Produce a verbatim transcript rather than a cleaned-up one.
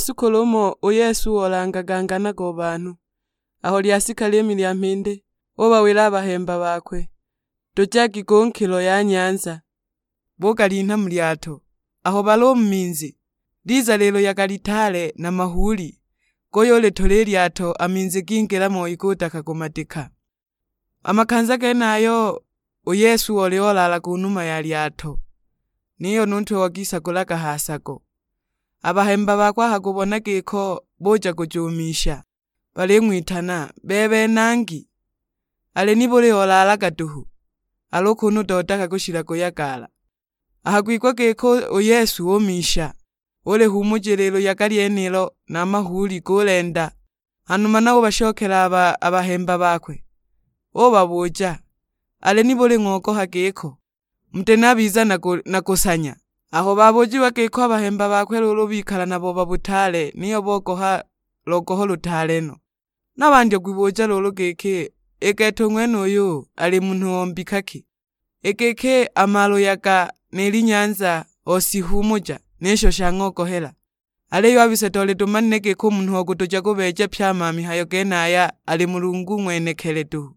shitukulu umo u Yesu olangaga ngana go banhu. Aho lyasika liimi lya mhindi, ubawila a bahemba bakwe, "Tujagi ku nkilo ya nyanza." Bugalinha mu lyato. Aho bali u mu minzi, liza liluyaga litaale na mahuuli, guyulitula i lyato, a minzi gingila moi gudaka kumadika. A makanza genayo u Yesu oli olaalaga u numa ya lyato, niyo nu ntwe wagisagulaga ha sago. A bahemba bakwe aho gubona giko buja kujumisha, baling'witana, "Bebe Nangi, ali nibuli olaalaga duhu? Al'u kunu udodaka kushila kuyagala." Aho gwigwa giko u Yesu umisha, ulihumuje liluyaga lyenilo na a mahuuli gulenda. Hanuma na ubashokela a ba-, a bahemba bakwe, ubabuja, "Ali nibuli ng'ogoha giko? Muti nabiza na ku-, na kusanya?" Aho babujiwa giko a bahemba bakwe luulu bikala na boba butaale, niyo bogoha logoho lutaale no. Na bandya kwibuja luulu giki, "I gete u ng'wenuyu ali munhu o mbika ki? I giki a maluyaga ni linyanza osihumuja, ni sho shang'ogohela? Aliyo a bise tole tumanile giki u munhu o kutuja kubeeja pye a ma mihayo genaya ali Mulungu ng'wenekili duhu."